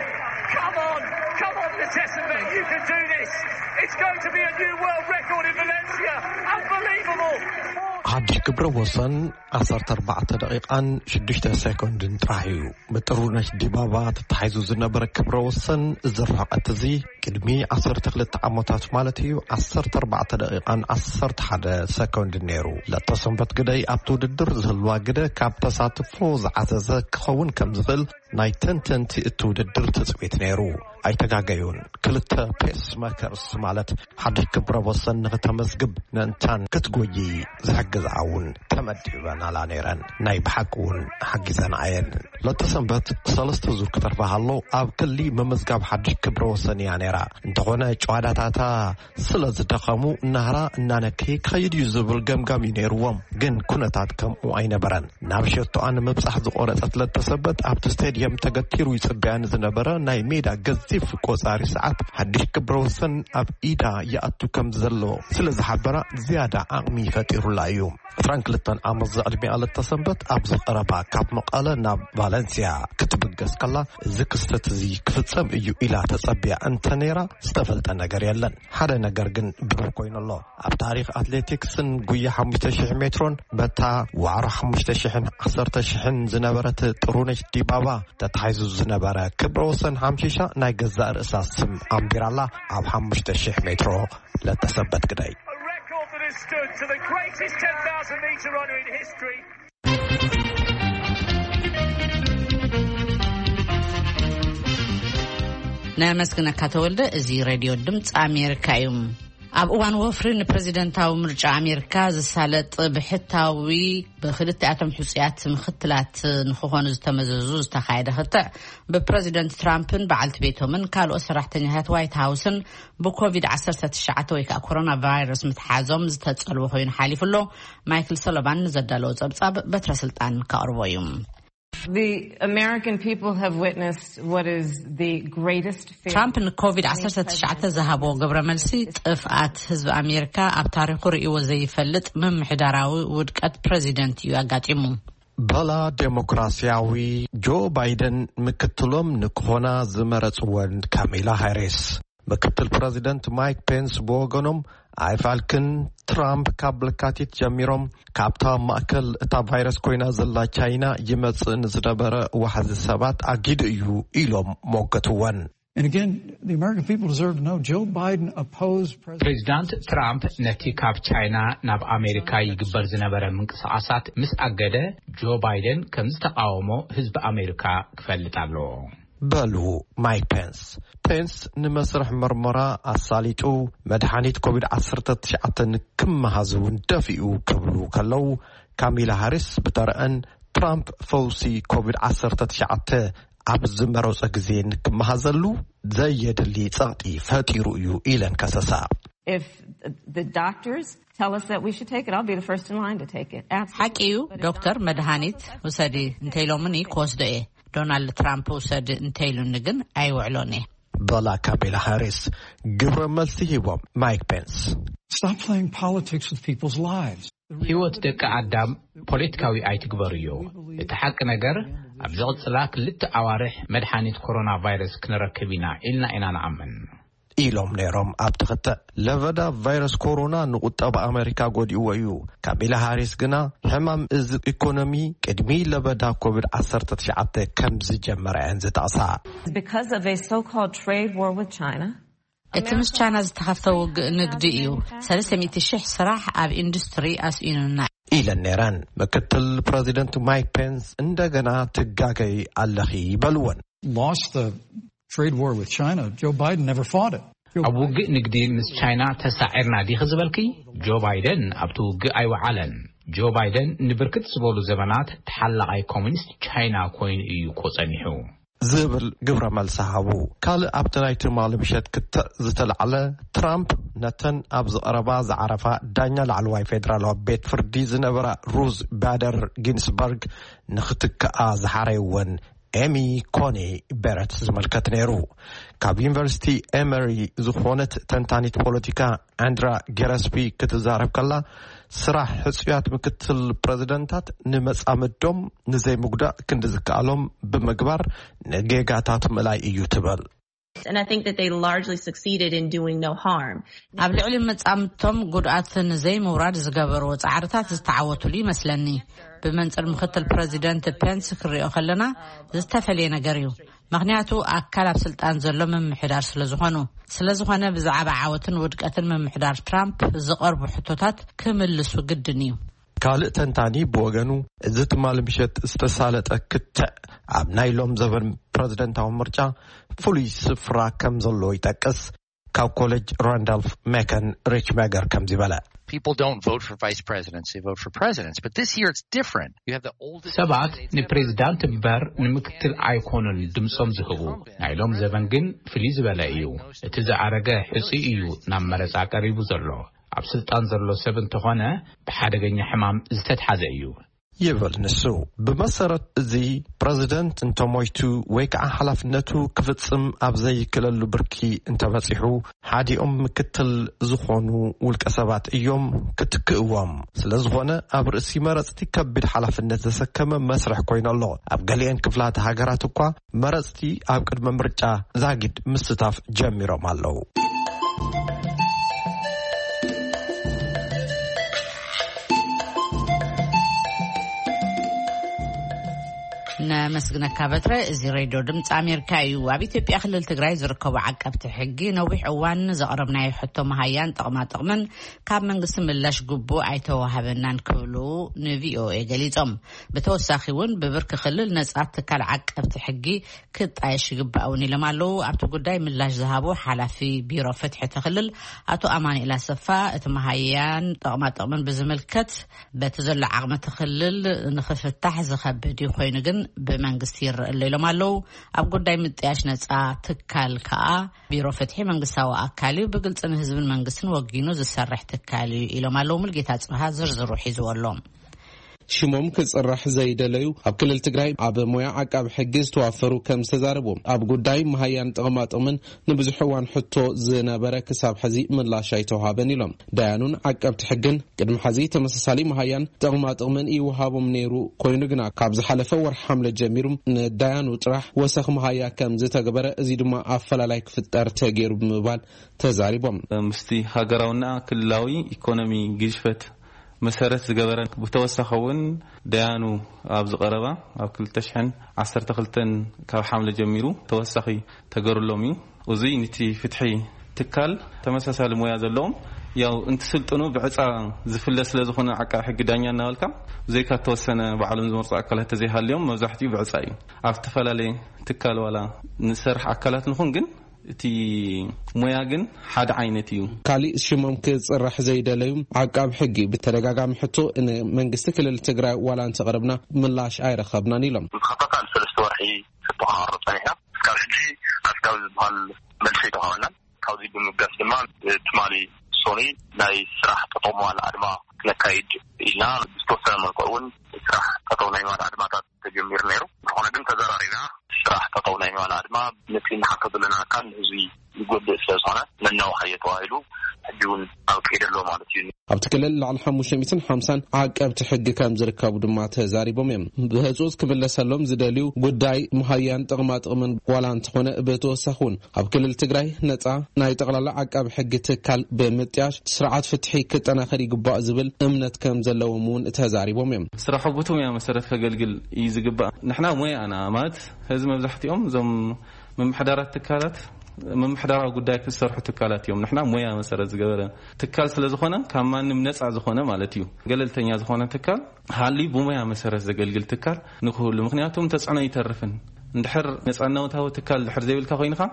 Come on, come on, Letessenbet, you can do this. It's going to be a new world record in Valencia. Unbelievable. ሓድሽ ክብረ ወሰን ዓሰርተ ኣርባዕተ ደቂቓን ሽዱሽተ ሰኮንድን ጥራሕ እዩ። ብጥሩነሽ ዲባባ ተታሒዙ ዝነበረ ክብረ ወሰን እዚ ርሕቀት እዚ ቅድሚ ዓሰርተ ክልተ ዓመታት ማለት እዩ ዓሰርተ ኣርባዕተ ደቂቓን ዓሰርተ ሓደ ሰኮንድን ነይሩ። ለተሰንበት ግደይ ኣብቲ ውድድር ዝህልዋ ግደ ካብ ተሳትፎ ዝዓዘዘ ክኸውን ከም ዝኽእል ናይ ተንተንቲ እቲ ውድድር ትጽቢት ነይሩ። ኣይተጋገዩን። ክልተ ፔስ መከርስ ማለት ሓድሽ ክብረ ወሰን ንኽተመዝግብ ምእንታን ክትጎዪ ዝሕግዝኣ እውን ተመዲበናላ ነይረን። ናይ ብሓቂ እውን ሓጊዘንኣ እየን። ለተሰንበት ሰለስተ ዙር ክተርፋ ሃሎ ኣብ ክሊ ምምዝጋብ ሓድሽ ክብረ ወሰን እያ ነይራ። እንተኾነ ጨዋዳታታ ስለ ዝደኸሙ ናህራ እናነከየ ክኸይድ እዩ ዝብል ገምጋም እዩ ነይርዎም። ግን ኩነታት ከምኡ ኣይነበረን። ናብ ሸቶኣ ንምብጻሕ ዝቖረጸት ለተሰንበት ኣብቲ ስቴድየም ተገቲሩ ይጽበያ ንዝነበረ ናይ ሜዳ ገዚፍ ቆጻሪ ሰዓት ሓድሽ ክብረ ወሰን ኣብ ኢዳ ይኣቱ ከም ዘሎ ስለ ዝሓበራ ዝያዳ ዓቕሚ ፈጢሩላ እዩ። ዕስራን ክልተን ዓመት ዘዕድሚኣ ለተሰንበት ኣብዚ ቀረባ ካብ መቐለ ናብ ቫለንሲያ ክትብገስ ከላ እዚ ክስተት እዚ ክፍጸም እዩ ኢላ ተጸቢያ እንተ ነይራ ዝተፈልጠ ነገር የለን። ሓደ ነገር ግን ብሩህ ኮይኑ ኣሎ። ኣብ ታሪኽ ኣትሌቲክስን ጉያ ሓሙሽተ ሽሕ ሜትሮን በታ ዋዕሮ ሓሙሽተ ሽሕን ዓሰርተ ሽሕን ዝነበረት ጥሩነሽ ዲባባ ተታሒዙ ዝነበረ ክብረ ወሰን ሓምሺሻ ናይ ገዛእ ርእሳ ስም ኣንቢራላ ኣብ ሓሙሽተ ሽሕ ሜትሮ ለተሰንበት ግደይ። A record that has stood to the greatest ten thousand metre runner in history. ነመስግነካ ተወልደ። እዚ ሬድዮ ድምፂ ኣሜሪካ እዩ። ኣብ እዋን ወፍሪ ንፕሬዚደንታዊ ምርጫ ኣሜሪካ ዝሳለጥ ብሕታዊ ብክልቲኣቶም ሕፁያት ምክትላት ንክኾኑ ዝተመዘዙ ዝተኻየደ ክትዕ ብፕሬዚደንት ትራምፕን በዓልቲ ቤቶምን ካልኦት ሰራሕተኛታት ዋይት ሃውስን ብኮቪድ ዓሰርተ ትሽዓተ ወይ ከዓ ኮሮና ቫይረስ ምትሓዞም ዝተፀልወ ኮይኑ ሓሊፉ ኣሎ። ማይክል ሶሎቫን ንዘዳለዎ ፀብፃብ በትረ ስልጣን ከቕርቦ እዩ። The American people have witnessed what is the greatest failure ትራምፕ ንኮቪድ ዓሰርተ ትሽዓተ ዝሃቦ ግብረ መልሲ ጥፍኣት ህዝቢ ኣሜሪካ ኣብ ታሪኹ ርእይዎ ዘይፈልጥ ምምሕዳራዊ ውድቀት ፕሬዚደንት እዩ ኣጋጢሙ። በላ ዴሞክራሲያዊ ጆ ባይደን ምክትሎም ንክኾና ዝመረጽወን ካሚላ ሃሪስ። ምክትል ፕረዚደንት ማይክ ፔንስ ብወገኖም ኣይፋልክን ትራምፕ ካብ ለካቲት ጀሚሮም ካብታ ማእከል እታ ቫይረስ ኮይና ዘላ ቻይና ይመጽእ ንዝነበረ ዋሕዚ ሰባት ኣጊዱ እዩ ኢሎም ሞገትወን። And again, the American people deserve to know Joe Biden opposed President ፕሬዚዳንት ትራምፕ ነቲ ካብ ቻይና ናብ ኣሜሪካ ይግበር ዝነበረ ምንቅስቓሳት ምስ ኣገደ ጆ ባይደን ከም ዝተቃወሞ ህዝቢ ኣሜሪካ ክፈልጥ ኣለዎ። በሉ ማይክ ፔንስ። ፔንስ ንመስርሕ መርመራ ኣሳሊጡ መድሓኒት ኮቪድ ዓሰርተ ትሽዓተ ክመሃዝ እውን ደፊኡ ክብሉ ከለዉ ካሚላ ሃሪስ ብተረአን ትራምፕ ፈውሲ ኮቪድ ዓሰርተ ትሽዓተ ኣብ ዝመረጾ ግዜ ንክመሃዘሉ ዘየድሊ ጸቕጢ ፈጢሩ እዩ ኢለን ከሰሳ። If the doctors tell us that we should take it, I'll be the first in line to take it. Absolutely. ሓቂ እዩ። ዶክተር መድሃኒት ውሰዲ እንተኢሎምኒ ክወስዶ እየ። ዶናልድ ትራምፕ ውሰድ እንተይሉኒ ግን ኣይውዕሎን እየ። በላ ካሜላ ሃሪስ ግብረ መልሲ ሂቦም ማይክ ፔንስ። Stop playing politics with people's lives. ህይወት ደቂ ኣዳም ፖለቲካዊ ኣይትግበርዮ። እቲ ሓቂ ነገር፣ ኣብ ዝቕጽላ ክልተ ኣዋርሕ መድሓኒት ኮሮና ቫይረስ ክንረክብ ኢና ኢልና ኢና ንኣምን። ኢሎም ነይሮም ኣብ ትኽተእ። ለበዳ ቫይረስ ኮሮና ንቁጠባ ኣሜሪካ ጎዲእዎ እዩ። ካሜላ ሃሪስ ግና ሕማም እዚ ኢኮኖሚ ቅድሚ ለበዳ ኮቪድ ዓሰርተ ትሽዓተ ከም ዝጀመረ እየን ዝጠቕሳ። Because of a so-called trade war with China, እቲ ምስ ቻይና ዝተኸፍተ ውግእ ንግዲ እዩ። ሰለስተ ሚእቲ ሽሕ ስራሕ ኣብ ኢንዱስትሪ ኣስኢኑና። ኢለን ነይረን። ምክትል ፕረዚደንት ማይክ ፔንስ እንደገና ትጋገይ ኣለኺ በልወን። Lost the trade war with China. Joe Biden never fought it. ኣብ ውግእ ንግዲ ምስ ቻይና ተሳዒርና ዲኺ ዝበልኪ? ጆ ባይደን ኣብቲ ውግእ ኣይወዓለን። ጆ ባይደን ንብርክት ዝበሉ ዘመናት ተሓላቓይ ኮሚኒስት ቻይና ኮይኑ እዩ እኮ ጸኒሑ። ዝብል ግብረ መልሲ ሃቡ። ካልእ ኣብቲ ናይ ትማሊ ምሸት ክትዕ ዝተላዕለ፣ ትራምፕ ነተን ኣብ ዝቐረባ ዝዓረፋ ዳኛ ላዕለዋይ ፌደራላዊ ቤት ፍርዲ ዝነበራ ሩዝ ባደር ጊንስበርግ ንኽትክኣ ዝሓረይወን ኤሚ ኮኒ ቤረት ዝምልከት ነይሩ። ካብ ዩኒቨርሲቲ ኤመሪ ዝኾነት ተንታኒት ፖለቲካ ኣንድራ ጌረስቢ ክትዛረብ ከላ፣ ስራሕ ሕጹያት ምክትል ፕረዚደንታት ንመጻምዶም ንዘይምጉዳእ ክንዲ ዝከኣሎም ብምግባር ንጌጋታት ምእላይ እዩ ትብል። And I think that they largely succeeded in doing no harm. ኣብ ልዕሊ መጻምድቶም ጉድኣት ንዘይምውራድ ዝገበርዎ ጻዕርታት ዝተዓወቱሉ ይመስለኒ። ብመንጽር ምክትል ፕረዚደንት ፔንስ ክሪኦ ከለና ዝተፈልየ ነገር እዩ። ምኽንያቱ ኣካል ኣብ ስልጣን ዘሎ ምምሕዳር ስለ ዝኾኑ። ስለ ዝኾነ ብዛዕባ ዓወትን ውድቀትን ምምሕዳር ትራምፕ ዝቐርቡ ሕቶታት ክምልሱ ግድን እዩ። ካልእ ተንታኒ ብወገኑ፣ እዚ ትማሊ ምሸት ዝተሳለጠ ክትዕ ኣብ ናይ ሎም ዘበን ፕረዚደንታዊ ምርጫ ፍሉይ ስፍራ ከም ዘለዎ ይጠቅስ። ካብ ኮሌጅ ራንዳልፍ ሜከን ሪች መገር ከምዚ በለ። People don't vote for vice presidents, they vote for presidents. But this year it's different. You have the oldest ሰባት candidate ever. ንፕሬዚዳንት እምበር ንምክትል ኣይኮኑን ድምፆም ዝህቡ። ናይ ሎም ዘበን ግን ፍልይ ዝበለ እዩ። እቲ ዝኣረገ ሕፁይ እዩ ናብ መረፃ ቀሪቡ ዘሎ። ኣብ ስልጣን ዘሎ ሰብ እንተኾነ ብሓደገኛ ሕማም ዝተትሓዘ እዩ። ይብል ንሱ። ብመሰረት እዚ፣ ፕረዚደንት እንተሞይቱ ወይ ከዓ ሓላፍነቱ ክፍጽም ኣብ ዘይክለሉ ብርኪ እንተበጺሑ፣ ሓዲኦም ምክትል ዝኾኑ ውልቀ ሰባት እዮም ክትክእዎም። ስለ ዝኾነ፣ ኣብ ርእሲ መረጽቲ ከቢድ ሓላፍነት ዘሰከመ መስርሕ ኮይኑ ኣሎ። ኣብ ገሊአን ክፍላተ ሃገራት እኳ መረጽቲ ኣብ ቅድመ ምርጫ ዛጊድ ምስታፍ ጀሚሮም ኣለዉ። ነመስግነካ በትረ። እዚ ሬድዮ ድምፂ ኣሜሪካ እዩ። ኣብ ኢትዮጵያ ክልል ትግራይ ዝርከቡ ዓቀብቲ ሕጊ ነዊሕ እዋን ዘቕረብናዮ ሕቶ መሃያን ጥቕማ ጥቕምን ካብ መንግስቲ ምላሽ ግቡእ ኣይተዋሃበናን ክብሉ ንቪኦኤ ገሊፆም። ብተወሳኺ እውን ብብርኪ ክልል ነፃ ትካል ዓቀብቲ ሕጊ ክጣየሽ ይግባእ እውን ኢሎም ኣለዉ። ኣብቲ ጉዳይ ምላሽ ዝሃቡ ሓላፊ ቢሮ ፍትሒ እቲ ክልል ኣቶ ኣማኑኤል ኣሰፋ፣ እቲ መሃያን ጥቕማ ጥቕምን ብዝምልከት በቲ ዘሎ ዓቕሚ እቲ ክልል ንኽፍታሕ ዝኸብድ እዩ፣ ኮይኑ ግን ብመንግስቲ ይረአ ኣሎ ኢሎም ኣለዉ። ኣብ ጉዳይ ምጥያሽ ነፃ ትካል ከኣ ቢሮ ፍትሒ መንግስታዊ ኣካል እዩ፣ ብግልፂ ንህዝብን መንግስትን ወጊኑ ዝሰርሕ ትካል እዩ ኢሎም ኣለዉ። ሙልጌታ ጽብሃ ዝርዝሩ ሒዝዎ ኣሎ። ሽሞም ክጽራሕ ዘይደለዩ ኣብ ክልል ትግራይ ኣብ ሞያ ዓቃቢ ሕጊ ዝተዋፈሩ ከም ዝተዛረቡ፣ ኣብ ጉዳይ መሃያን ጥቕማ ጥቕምን ንብዙሕ እዋን ሕቶ ዝነበረ ክሳብ ሕዚ ምላሽ ኣይተውሃበን ኢሎም። ዳያኑን ዓቀብቲ ሕግን ቅድሚ ሕዚ ተመሳሳሊ መሃያን ጥቕማ ጥቕምን ይወሃቦም ነይሩ፣ ኮይኑ ግና ካብ ዝሓለፈ ወርሒ ሓምለ ጀሚሩ ንዳያኑ ጥራሕ ወሰኽ መሃያ ከም ዝተገበረ፣ እዚ ድማ ኣፈላላይ ክፍጠር ተገይሩ ብምባል ተዛሪቦም። ምስቲ ሃገራውና ክልላዊ ኢኮኖሚ ግዝፈት መሰረት ዝገበረ፣ ብተወሳኺ እውን ደያኑ ኣብ ዝቐረባ ኣብ ክልተ ሽሕን ዓሰርተ ክልተን ካብ ሓምለ ጀሚሩ ተወሳኺ ተገሩሎም እዩ። እዙይ ንቲ ፍትሒ ትካል ተመሳሳሊ ሞያ ዘለዎም ያው እንትስልጥኑ ብዕፃ ዝፍለ ስለ ዝኾነ ዓቃቢ ሕጊ ዳኛ እናበልካ ብዘይካ ተወሰነ ባዕሎም ዝመርፁ ኣካላት ተዘይሃልዮም መብዛሕትኡ ብዕፃ እዩ። ኣብ ዝተፈላለየ ትካል ዋላ ንሰርሕ ኣካላት ንኹን ግን እቲ ሞያ ግን ሓደ ዓይነት እዩ። ካሊእ ሽሞም ክፅራሕ ዘይደለዩ ዓቃብ ሕጊ ብተደጋጋሚ ሕቶ ንመንግስቲ ክልል ትግራይ ዋላ እንተቕረብና ምላሽ ኣይረኸብናን ኢሎም። ንተኸታታሊ ሰለስተ ወርሒ ሕቶ ከቐርብ ፀኒሕና። እስካብ ሕጂ ኣስጋቢ ዝበሃል መልሲ ኣይተዋሃበናን። ካብዚ ብምብጋስ ድማ ትማሊ ሶኒ ናይ ስራሕ ጠጠው ምባል ኣድማ ክነካይድ ኢልና ዝተወሰነ መልክዑ እውን ስራሕ ጠጠው ናይ ምባል ኣድማታት ተጀሚሩ ነይሩ። ዝኾነ ግን ተዘራሪብና ስራሕ ጠጠው ናይ ምባል ኣድማ ነቲ ንሓቶ ዘለና ኣካል ንህዝቢ ዝጎድእ ስለ ዝኾነ መናውሓዮ ተባሂሉ ሕጂ እውን ኣብ ከይደ ኣሎ ማለት እዩ። ኣብቲ ክልል ልዕሊ ሓሙሽተ ሚእትን ሓምሳን ዓቀብቲ ሕጊ ከም ዝርከቡ ድማ ተዛሪቦም እዮም። ብህፁፅ ክምለሰሎም ዝደልዩ ጉዳይ መሃያን ጥቕማ ጥቕምን ዋላ እንተኾነ ብተወሳኺ እውን ኣብ ክልል ትግራይ ነፃ ናይ ጠቕላላ ዓቃቢ ሕጊ ትካል ብምጥያሽ ስርዓት ፍትሒ ክጠናኸር ይግባእ ዝብል እምነት ከም ዘለዎም እውን ተዛሪቦም እዮም። ስራሑ ብቲ ሙያ መሰረት ከገልግል እዩ ዝግባእ። ንሕና ሙያና ማለት ህዝቢ መብዛሕትኦም እዞም ምምሕዳራት ትካላት ምምሕዳራዊ ጉዳይ ክሰርሑ ትካላት እዮም። ንሕና ሙያ መሰረት ዝገበረ ትካል ስለ ዝኾነ ካብ ማንም ነፃ ዝኾነ ማለት እዩ። ገለልተኛ ዝኾነ ትካል ሃልዩ ብሙያ መሰረት ዘገልግል ትካል ንክህሉ። ምክንያቱም ተፅዕኖ ይተርፍን እንድሕር ነፃነታዊ ትካል ድሕር ዘይብልካ ኮይንካ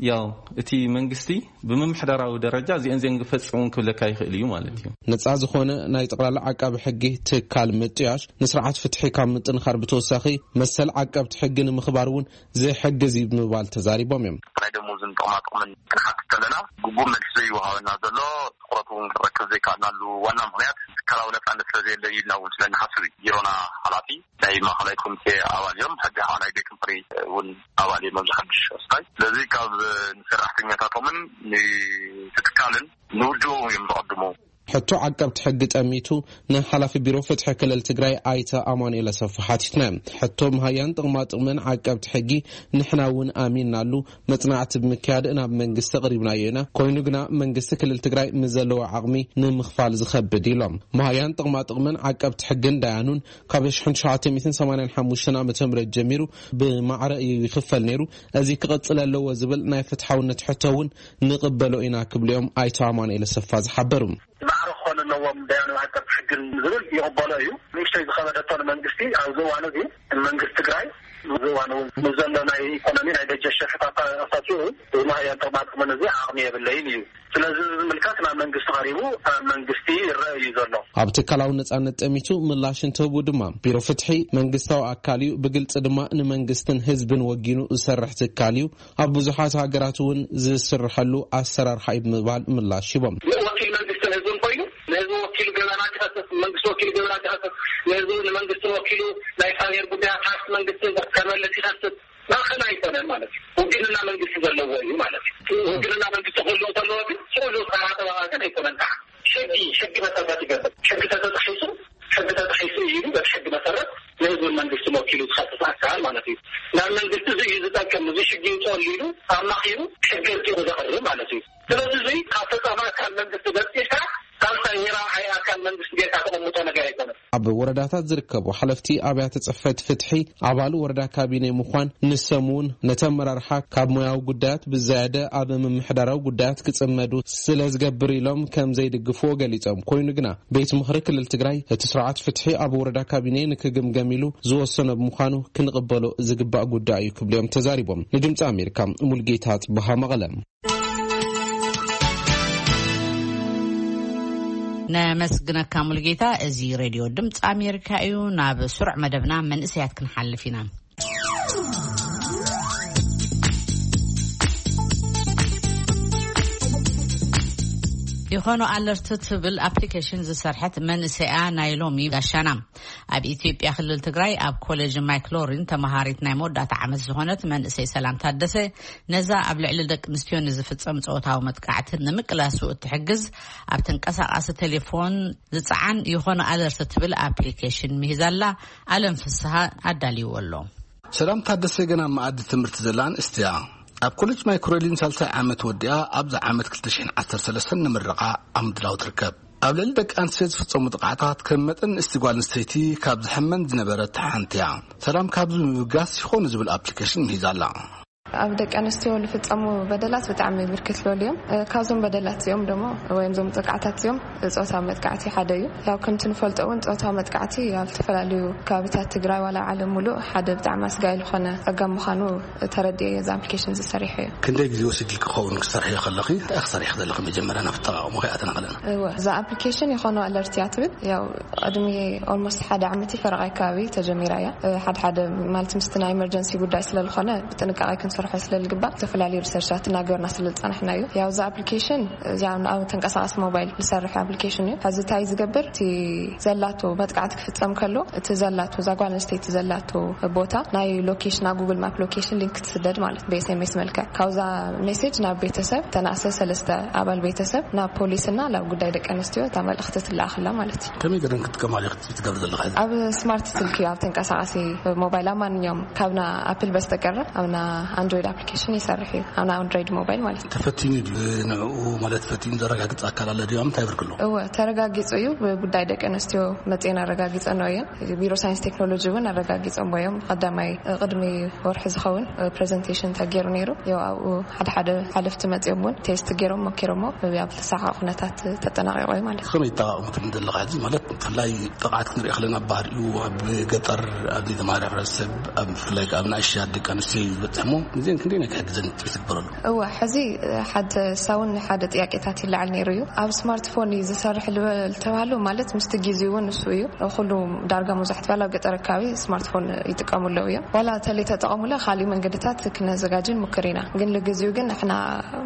ያው እቲ መንግስቲ ብምምሕዳራዊ ደረጃ እዚአን ዚአን ክፈፅሙን ክብለካ ይኽእል እዩ ማለት እዩ። ነፃ ዝኾነ ናይ ጠቕላላ ዓቃቢ ሕጊ ትካል ምጥያሽ ንስርዓት ፍትሒ ካብ ምጥንኻር ብተወሳኺ መሰል ዓቀብቲ ሕጊ ንምኽባር እውን ዝሕግዝ እዩ ብምባል ተዛሪቦም እዮም። ናይ ደሞዝን ጥቕማ ጥቕምን ክንሓትት ከለና ግቡእ መልሲ ዘይወሃበና ዘሎ ትኹረት እውን ክንረክብ ዘይከኣልናሉ ዋና ምኽንያት ትካላዊ ነፃነት ስለ ዘየለ እዩ ኢልና እውን ስለ እንሓስብ እዩ። ቢሮና ሓላፊ ናይ ማእኸላይ ኮሚቴ ኣባል እዮም። ሕጂ ከዓ ናይ ቤት ምኽሪ እውን ኣባል እዮም ኣብዚ ሓድሽ ኣስታይ። ስለዚ ካብ ንሰራሕተኛታቶምን ንትካልን ንውድቦም እዮም ዝቐድሙ። ሕቶ ዓቀብቲ ሕጊ ጠሚቱ ንሓላፊ ቢሮ ፍትሒ ክልል ትግራይ ኣይተ ኣማኑኤል ኣሰፋ ሓቲትና። ሕቶ መሃያን ጥቕማ ጥቕምን ዓቀብቲ ሕጊ ንሕና እውን ኣሚንናሉ መጽናዕቲ ብምክያድ ናብ መንግስቲ ኣቕሪብናዮ ኢና። ኮይኑ ግና መንግስቲ ክልል ትግራይ ምስ ዘለዎ ዓቕሚ ንምኽፋል ዝኸብድ ኢሎም። መሃያን ጥቕማ ጥቕምን ዓቀብቲ ሕግን ዳያኑን ካብ ሺሕ ትሽዓተ ሚእትን ሰማንያን ሓሙሽተን ዓመተ ምህረት ጀሚሩ ብማዕረ እዩ ይኽፈል ነይሩ። እዚ ክቕጽል ኣለዎ ዝብል ናይ ፍትሓውነት ሕቶ እውን ንቕበሎ ኢና ክብሉ እዮም ኣይተ ኣማኑኤል ኣሰፋ ዝሓበሩ። ማዕረ ክኾኑ ኣለዎም ዳያኑ ዓቀብቲ ሕግን ዝብል ይቕበሎ እዩ። ንእሽተይ ዝኸበደቶ ንመንግስቲ ኣብዚ እዋን እዚ መንግስቲ ትግራይ ኣብዚ እዋን እውን ምስ ዘሎ ናይ ኢኮኖሚ ናይ በጀት ሸርሕታት ኣሳሲቡ እዚ መሃያን ጥቕማ ጥቕምን እዚ ዓቕሚ የብለይን እዩ። ስለዚ እዚ ዝምልከት ናብ መንግስቲ ቀሪቡ ኣብ መንግስቲ ይረአ እዩ ዘሎ። ኣብ ትካላዊ ነጻነት ጠሚቱ ምላሽ እንትህቡ ድማ ቢሮ ፍትሒ መንግስታዊ ኣካል እዩ፣ ብግልፂ ድማ ንመንግስትን ህዝብን ወጊኑ ዝሰርሕ ትካል እዩ። ኣብ ብዙሓት ሃገራት እውን ዝስርሐሉ ኣሰራርሓ እዩ ብምባል ምላሽ ሂቦም። ወኪል መንግስትን ህዝብን ኮይኑ ንህዝቢ ወኪሉ ገበናት ይኸስስ፣ መንግስቲ ወኪሉ ገበናት ይኸስስ፣ ንህዝቢ ንመንግስትን ወኪሉ ናይ ፋይናንስ ጉዳያት ሃፍቲ መንግስትን ከመልስ ይኸስስ። ማእኸል ኣይኮነን ማለት እዩ። ውግንና መንግስቲ ዘለዎ እዩ ማለት እዩ። ውግንና መንግስቲ ክህልዎ ከለዎ ግን ኩሉ ተራ ተባባገን ኣይኮነን። ከዓ ሕጊ ሕጊ መሰረት ይገብር። ሕጊ ተተጣሒሱ ሕጊ ተጣሒሱ እዩ ኢሉ በቲ ሕጊ መሰረት ንህዝብን መንግስትን ወኪሉ ዝኸስስ ኣካል ማለት እዩ። ናብ መንግስቲ እዚ እዩ ዝጠቅም፣ እዚ ሕጊ ይውፅኣሉ ኢሉ ኣማኺሩ ሕጊ ኣውፂኡ ዘቕርብ ማለት እዩ። ስለዚ እዚ ካብ ፈፃሚ ኣካል መንግስቲ ገፂርካ ሳልሳይ ወይ ራብዓይ ኣካል መንግስቲ ጌርካ ተቐምጦ ነገር ኣይኮነን። ኣብ ወረዳታት ዝርከቡ ሓለፍቲ ኣብያተ ጽሕፈት ፍትሒ ኣባል ወረዳ ካቢኔ ምዃን ንሶም እውን ነቲ ኣመራርሓ ካብ ሞያዊ ጉዳያት ብዝያደ ኣብ ምምሕዳራዊ ጉዳያት ክጽመዱ ስለ ዝገብር ኢሎም ከም ዘይድግፍዎ ገሊጾም። ኮይኑ ግና ቤት ምኽሪ ክልል ትግራይ እቲ ስርዓት ፍትሒ ኣብ ወረዳ ካቢኔ ንክግምገም ኢሉ ዝወሰኖ ብምዃኑ ክንቕበሎ ዝግባእ ጉዳይ እዩ ክብሉ እዮም ተዛሪቦም። ንድምፂ ኣሜሪካ ሙልጌታ ጽበሃ መቐለ። ነመስግነካ ሙልጌታ። እዚ ሬድዮ ድምፂ ኣሜሪካ እዩ። ናብ ስሩዕ መደብና መንእሰያት ክንሓልፍ ኢና። ይኾኑ ኣለርት ትብል ኣፕሊኬሽን ዝሰርሐት መንእሰያ ናይ ሎሚ ጋሻና። ኣብ ኢትዮጵያ ክልል ትግራይ ኣብ ኮሌጅ ማይክሎሪን ተመሃሪት ናይ መወዳእታ ዓመት ዝኾነት መንእሰይ ሰላም ታደሰ ነዛ ኣብ ልዕሊ ደቂ ኣንስትዮ ንዝፍጸም ጾታዊ መጥቃዕቲ ንምቅላሱ እትሕግዝ ኣብ ተንቀሳቃሲ ቴሌፎን ዝጸዓን ይኾኑ ኣለርት ትብል ኣፕሊኬሽን ምሂዛላ። ኣለም ፍስሃ ኣዳልይዎ ኣሎ። ሰላም ታደሰ ገና ኣብ መኣዲ ትምህርቲ ዘላ ኣንስቲ እያ። ኣብ ኮሌጅ ማይክሮሊን ሳልሳይ ዓመት ወዲኣ ኣብዚ ዓመት ክልተ ሽሕን ዓሰርተ ሰለስተን ንምርቓ ኣብ ምድላው ትርከብ። ኣብ ልዕሊ ደቂ ኣንስትዮ ዝፍጸሙ ጥቕዓታት ከም መጠን ንእስቲ ጓል ኣንስተይቲ ካብ ዝሕመን ዝነበረት ሓንቲ እያ። ሰላም ካብዚ ብምብጋስ ይኾኑ ዝብል ኣፕሊኬሽን ምሂዛ ኣላ። ኣብ ደቂ ኣንስትዮ ዝፍጸሙ በደላት ብጣዕሚ ብርክት ዝበሉ እዮም። እ፣ ካብዞም በደላት እዚኦም ደሞ ወይም እዞም ጥቕዓታት እዚኦም ጾታዊ መጥቃዕቲ ሓደ እዩ። ያው ከምቲ ንፈልጦ እውን ጾታዊ መጥቃዕቲ ኣብ ዝተፈላለዩ ከባቢታት ትግራይ ዋላ ዓለም ሙሉእ ሓደ ብጣዕሚ ኣስጋኢ ዝኾነ ጸገም ምዃኑ ተረዲኤ እየ እዚ ኣፕሊኬሽን ዝሰሪሐ እዩ። ክንደይ ግዜ ወሲድልኪ ክኸውን ክሰርሕዮ ከለኺ? እንታይ ክሰርሕ ዘለኺ መጀመርያ ናብ ኣጠቓቕሙ ከይኣተና ከለና? እወ፣ እዛ ኣፕሊኬሽን ይኾኑ ኣለርት እያ ትብል። ያው ቅድሚ ኦልሞስት ሓደ ዓመት ፈረቓ ኣካባቢ ተጀሚራ እያ። እ፣ ሓደ ሓደ ማለት ምስቲ ናይ ኤመርጀንሲ ጉዳይ ስለ ዝኾነ ብጥንቃቄ ስርሖ ስለ ዝግባእ ዝተፈላለዩ ሪሰርቻት እናገበርና ስለ ዝፀናሕና እዩ። ያው እዚ ኣፕሊኬሽን እዚኣ ኣብ ተንቀሳቃሲ ሞባይል ዝሰርሕ ኣፕሊኬሽን እዩ። ሕዚ እንታይ ዝገብር፣ እቲ ዘላቶ መጥቃዕቲ ክፍፀም ከሎ እቲ ዘላቶ፣ እዛ ጓል ኣንስተይቲ ዘላቶ ቦታ ናይ ሎኬሽን፣ ኣብ ጉግል ማፕ ሎኬሽን ሊንክ ትስደድ ማለት ብኤስኤምኤስ መልክዕ ካብዛ ሜሴጅ ናብ ቤተሰብ፣ ተናእሰ ሰለስተ ኣባል ቤተሰብ፣ ናብ ፖሊስና ናብ ጉዳይ ደቂ ኣንስትዮ እታ መልእኽቲ ትለኣኸላ ማለት እዩ። ከመይ ገይረን ክጥቀማሉ ክትገብር ዘለኻ? ኣብ ስማርት ስልኪ፣ ኣብ ተንቀሳቃሲ ሞባይል፣ ኣብ ማንኛውም ካብና ኣፕል በስተቀረ ኣብና ኣንድሮይድ ኣፕሊኬሽን ይሰርሕ እዩ። ኣብና ኣንድሮይድ ሞባይል ማለት እዩ። ተፈቲኑ ድዩ ንዕኡ ማለት ፈቲኑ ዘረጋግጽ ኣካል ኣለ ድዩ? እንታይ ብርክሎ? እወ፣ ተረጋጊጹ እዩ። ብጉዳይ ደቂ ኣንስትዮ መጽኤን ኣረጋጊጸን እየን። ቢሮ ሳይንስ ቴክኖሎጂ እውን ኣረጋጊጾም እዮም። ቀዳማይ ቅድሚ ወርሒ ዝኸውን ፕሬዘንቴሽን ተገይሩ ነይሩ። ያው ኣብኡ ሓደ ሓደ ሓለፍቲ መጽኦም እውን ቴስት ገይሮም ሞኪሮሞ፣ ኣብ ተሳኻ ኩነታት ተጠናቂቑ እዩ ማለት እዩ። ከመይ ይጠቃቅሙ ትብል ዘለኻ? ሕዚ ማለት ብፍላይ ጥቕዓት ክንርኢ ከለና፣ ኣብ ባህሪኡ ኣብ ገጠር፣ ኣብ ዘይተማህረ ሕብረተሰብ፣ ኣብ ብፍላይ ኣብ ንኣሽቱ ደቂ ኣንስትዮ እዩ ዝበፅሕ። እሞ እዚአን ክንደይ ናይ ክሕግዘን ትግበረሉ? እወ፣ ሕዚ ሓደ ሳውን ሓደ ጥያቄታት ይለዓል ነይሩ እዩ። ኣብ ስማርትፎን እዩ ዝሰርሕ ልበል ተባህሉ ማለት ምስቲ ግዜ እውን እሱ እዩ። ኩሉ ዳርጋ መብዛሕትኡ ኣብ ገጠር ኣካባቢ ስማርትፎን ይጥቀሙ ኣለዉ እዮም። ዋላ ተለይ ተጠቐሙለ ካሊእ መንገድታት ክነዘጋጅ ንሙክር ኢና። ግን ለጊዜኡ ግን ንሕና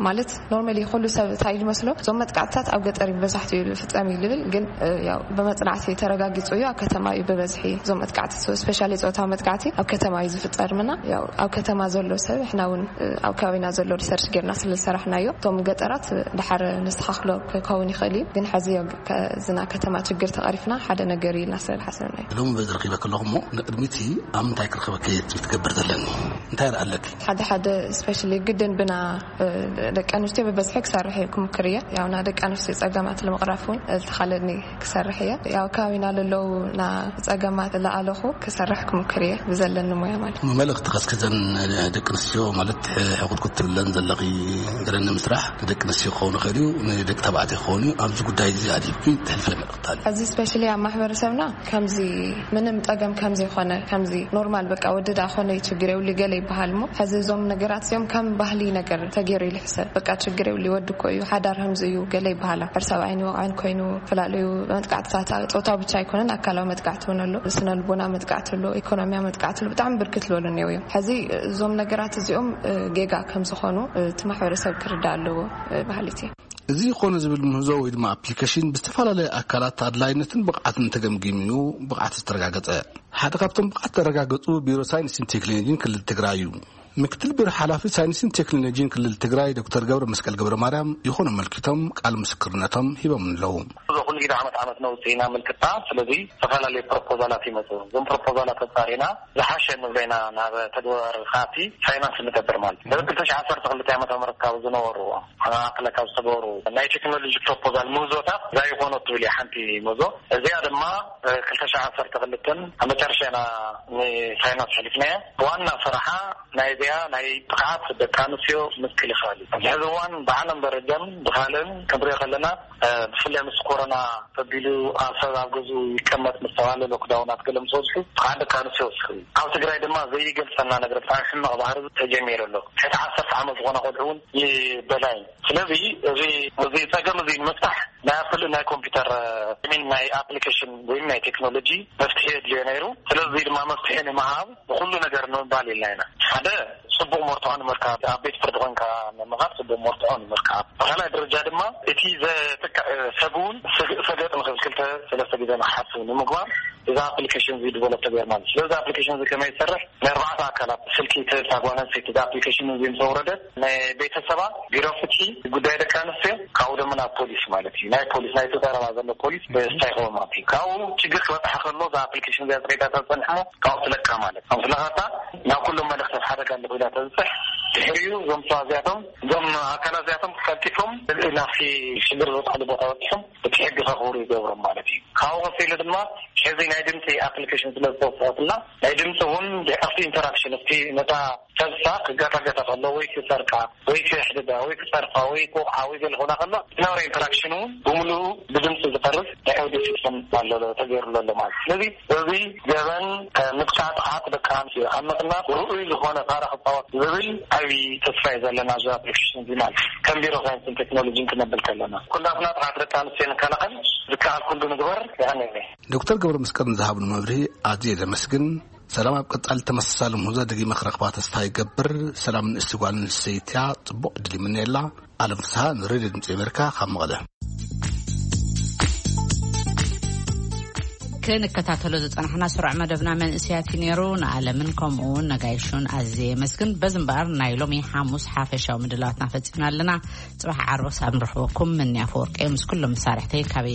ማለት ኖርማሊ ኩሉ ሰብ እንታይ ዝመስሎ እዞም መጥቃዕትታት ኣብ ገጠር እዩ ብበዛሕትኡ ዝፍጸም እዩ ዝብል፣ ግን ያው ብመጽናዕቲ ተረጋጊጹ እዩ። ኣብ ከተማ እዩ ብበዝሒ እዞም መጥቃዕቲ፣ ስፔሻሊ ጾታዊ መጥቃዕቲ ኣብ ከተማ እዩ ዝፍጸር ምና። ያው ኣብ ከተማ ዘሎ ሰብ፣ ንሕና እውን ኣብ ከባቢና ዘሎ ሪሰርች ጌርና ስለ ዝሰራሕናዮ፣ እቶም ገጠራት ድሓር ነስተኻኽሎ ክኸውን ይኽእል እዩ። ግን ሕዚ ያው ከ-፣ ዝና ከተማ ችግር ተቐሪፍና ሓደ ነገር እዩ ኢልና ስለ ዝሓሰብና እዩ። ሎሚ በዚ ረኺበ ከለኹ እሞ ንቅድሚት ኣብ ምንታይ ክረኽበኪ እየ ትብል ትገብር ዘለኒ? እንታይ ይረኣለኪ? ሓደ ሓደ ስፔሻሊ ግድን ብና ደቂ ኣንስትዮ ብበዝሒ ክሰርሕ እየ ክምክር እየ። ያው ና ደቂ ኣንስትዮ ጸገማት ንምቕራፍ እውን ዝተኻለኒ ክሰርሕ እየ። ያው ከባቢና ለለዉ ና ጸገማት ለኣለኹ ክሰርሕ ክምክር እየ ብዘለኒ ሞያ ማለት። መልእኽቲ ከስክዘን ደቂ ኣንስትዮ ማለት ሕቁጥቁጥ ትብለን ዘለኺ ገለ ንምስራሕ ንደቂ ኣንስትዮ ክኸውን ይኽእል እዩ፣ ንደቂ ተባዕትዮ ክኸውን እዩ። ኣብዚ ጉዳይ እዚ ኣድሂብኪ ትሕልፈ መልእኽቲ ኣሎ? እዚ ስፔሻሊ ኣብ ማሕበረሰብና ከምዚ ምንም ጸገም ከምዚ ይኾነ፣ ከምዚ ኖርማል በቃ ወዲ ደኣ ኾነ እዩ ችግር የብሉ ገለ ይበሃል እሞ፣ ሕዚ እዞም ነገራት እዚኦም ከም ባህሊ ነገር ተገይሩ ይልሕሰብ። በቃ ችግር የብሉ ወዲ እኮ እዩ፣ ሓዳር ከምዚ እዩ ገለ ይበሃላ። ሕር ሰብኣይን ይወቕዕን ኮይኑ፣ፈላለዩ መጥቃዕትታት ጾታዊ ብቻ ኣይኮነን፣ ኣካላዊ መጥቃዕቲ እውን ኣሎ፣ ስነ ልቦና መጥቃዕቲ ኣሎ፣ ኢኮኖሚያ መጥቃዕቲ ኣሎ፣ ብጣዕሚ ብርክት ዝበሉ እኒአው እዮም። ሕዚ እዞም ነገራት እዚኦም እ፣ ጌጋ ከም ዝኾኑ እ፣ እቲ ማሕበረሰብ ክርዳእ ኣለዎ እ፣ በሃሊት እየ። እዚ ኮነ ዝብል ምህዞ ወይ ድማ ኣፕሊኬሽን ብዝተፈላለየ ኣካላት ኣድላይነትን ብቕዓትን ተገምጊሙ ብቕዓት ዝተረጋገጸ። ሓደ ካብቶም ብቕዓት ተረጋገጹ ቢሮ ሳይንስን ቴክኖሎጂን ክልል ትግራይ እዩ። ምክትል ቢሮ ሓላፊ ሳይንስን ቴክኖሎጂን ክልል ትግራይ ዶክተር ገብረ መስቀል ገብረ ማርያም ይኾኑ ኣመልኪቶም ቃል ምስክርነቶም ሂቦም ኣለዉ። እዚ ኩሉ ግዜ ዓመት ዓመት ነውፅእ ኢና ምልክታ። ስለዚ ዝተፈላለዩ ፕሮፖዛላት ይመፁ። እዞም ፕሮፖዛላት ኣፃሪና ዝሓሸ ንብለና ናብ ተግባር ካቲ ፋይናንስ ንገብር ማለት እዩ። እዚ ክልተ ሽሕ ዓሰርተ ክልተ ዓመተ ምህረት ካብ ዝነበሩ ኣክለ ካብ ዝተገበሩ ናይ ቴክኖሎጂ ፕሮፖዛል ምህዞታት እዛ ይኾኖ ትብል እያ ሓንቲ ምህዞ። እዚኣ ድማ ክልተ ሽሕ ዓሰርተ ክልተን ኣብ መጨረሻ ኢና ንፋይናንስ ሕሊፍናያ። ዋና ስራሓ ናይ እዚኣ ናይ ጥቕዓት ደቂ ኣንስትዮ ምክልኻል እዩ። ኣብዚ ሕዚ እዋን ብዓለም ደረጃን ብኻልእን ክንሪኦ ከለና፣ እ፣ ብፍላይ ምስ ኮሮና ተቢሉ ኣብ ሰብ ኣብ ገዝኡ ይቀመጥ ምስ ተባሃለ ሎክዳውናት ገለ ምስ በዝሑ ጥቕዓት ደቂ ኣንስትዮ ወሲኹ እዩ። ኣብ ትግራይ ድማ ዘይገልጸና ነገር ብጣዕሚ ሕማቕ ባህሪ ተጀሚሩ ኣሎ። ትሕቲ ዓሰርተ ዓመት ዝኾና ቆልዑ እውን ይበላዩ። ስለዚ እዚ፣ እዚ ጸገም እዚ ንምፍታሕ ናይ ኣፕል፣ ናይ ኮምፒውተር፣ እ፣ ሚን ናይ ኣፕሊኬሽን ወይም ናይ ቴክኖሎጂ መፍትሒ የድልዮ ነይሩ። ስለዚ ድማ መፍትሒ ንምሃብ ንኹሉ ነገር ንምባል ኢልና ኢና። ሓደ፣ ጽቡቕ መርትዖ ንምርካብ፣ ኣብ ቤት ፍርዲ ኮንካ ንምኻድ ጽቡቕ መርትዖ ንምርካብ። ብኻልኣይ ደረጃ ድማ እቲ ዘጥቅዕ ሰብ እውን ሰገጥ ንኽብል ክልተ ሰለስተ ግዜ ንክሓስብ ንምግባር እዛ ኣፕሊኬሽን እዚ ዲቨሎፕ ተገይር ማለት እዩ። ስለዚ ኣፕሊኬሽን እዚ ከመይ ይሰርሕ? ናይ ኣርባዕተ ኣካላት ስልኪ ትህብ እታ ጓል ኣንስተይቲ እዛ ኣፕሊኬሽን እዚ ምስ ኣውረደት ናይ ቤተሰባ፣ ቢሮ ፍትሒ፣ ጉዳይ ደቂ ኣንስትዮ፣ ካብኡ ድማ ናብ ፖሊስ ማለት እዩ። ናይ ፖሊስ፣ ናይቲ ቀረባ ዘሎ ፖሊስ ስታይ ክኸውን ማለት እዩ። ካብኡ ችግር ክበፅሓ ከሎ እዛ ኣፕሊኬሽን እዚኣ ፅሬታ ተፀንሕ እሞ ካብኡ ትለቃ ማለት እዩ። ኣብ ትለቃታ ናብ ኩሎም መልእኽቲ ሓደጋ ኣለኹ ኢላ ተብፅሕ። ድሕሪኡ እዞም ሰባት እዚኣቶም፣ እዞም ኣካላት እዚኣቶም ቀልጢፎም ናብቲ ሽግር ዝበፅሓሉ ቦታ በፂሖም እቲ ሕጊ ከኽብሩ ይገብሮም ማለት እዩ። ካብኡ ቀፂሉ ድማ ሕዚ ናይ ድምፂ ኣፕሊኬሽን ስለ ዝተወሰኸትና ናይ ድምፂ እውን ድሕርቲ ኢንተራክሽን እቲ ነታ ሰብሳ ክጋታገታ ከሎ ወይ ክሰርቃ ወይ ክሕድዳ ወይ ክፀርፋ ወይ ክወቕዓ ወይ ገለ ክኾና ከሎ ዝነበረ ኢንተራክሽን እውን ብምሉኡ ብድምፂ ዝቐርብ ናይ ኦዲዮ ሲስተም ኣሎ ተገይሩሉ ኣሎ ማለት እዩ። ስለዚ እዚ ገበን እ፣ ምጥቃዕ ጥቕዓት ደቂ ኣንስትዮ ኣብ ምቕናስ ርኡይ ዝኾነ ታራ ክፃወት ዝብል ዓብዪ ተስፋ እዩ ዘለና እዚ ኣፕሊኬሽን እዚ ማለት እዩ። ከም ቢሮ ሳይንስን ቴክኖሎጂን ክነብል ከለና ኩላትና ጥቕዓት ደቂ ኣንስትዮ ንከላኸል ዝከኣል ኩሉ ንግበር። ይቐንየለይ። ዶክተር ገብረ መስቀል ንዝሃብኑ መብርሂ ኣዝየ ዘመስግን። ሰላም ኣብ ቀጻሊ ተመሳሳሊ ምህዞ ደጊመ ክረኽባ ተስፋ ይገብር። ሰላም ንእስቲ ጓል ኣንስተይትያ ጽቡቕ ዕድል ይምነየላ። ኣለም ፍስሃ ንሬድዮ ድምጺ ኣሜሪካ ካብ መቐለ። ክንከታተሎ ዝጸናሕና ስሩዕ መደብና መንእስያት እዩ ነይሩ። ንኣለምን ከምኡ እውን ነጋይሹን ኣዝየ የመስግን። በዚ እምበኣር ናይ ሎሚ ሓሙስ ሓፈሻዊ ምድላዋትና ፈጺምና ኣለና። ጽባሕ ዓርቢ ክሳብ ንረኽበኩም ምንያ ፈወርቀ ምስ ኩሎም መሳርሕተይ ካበይ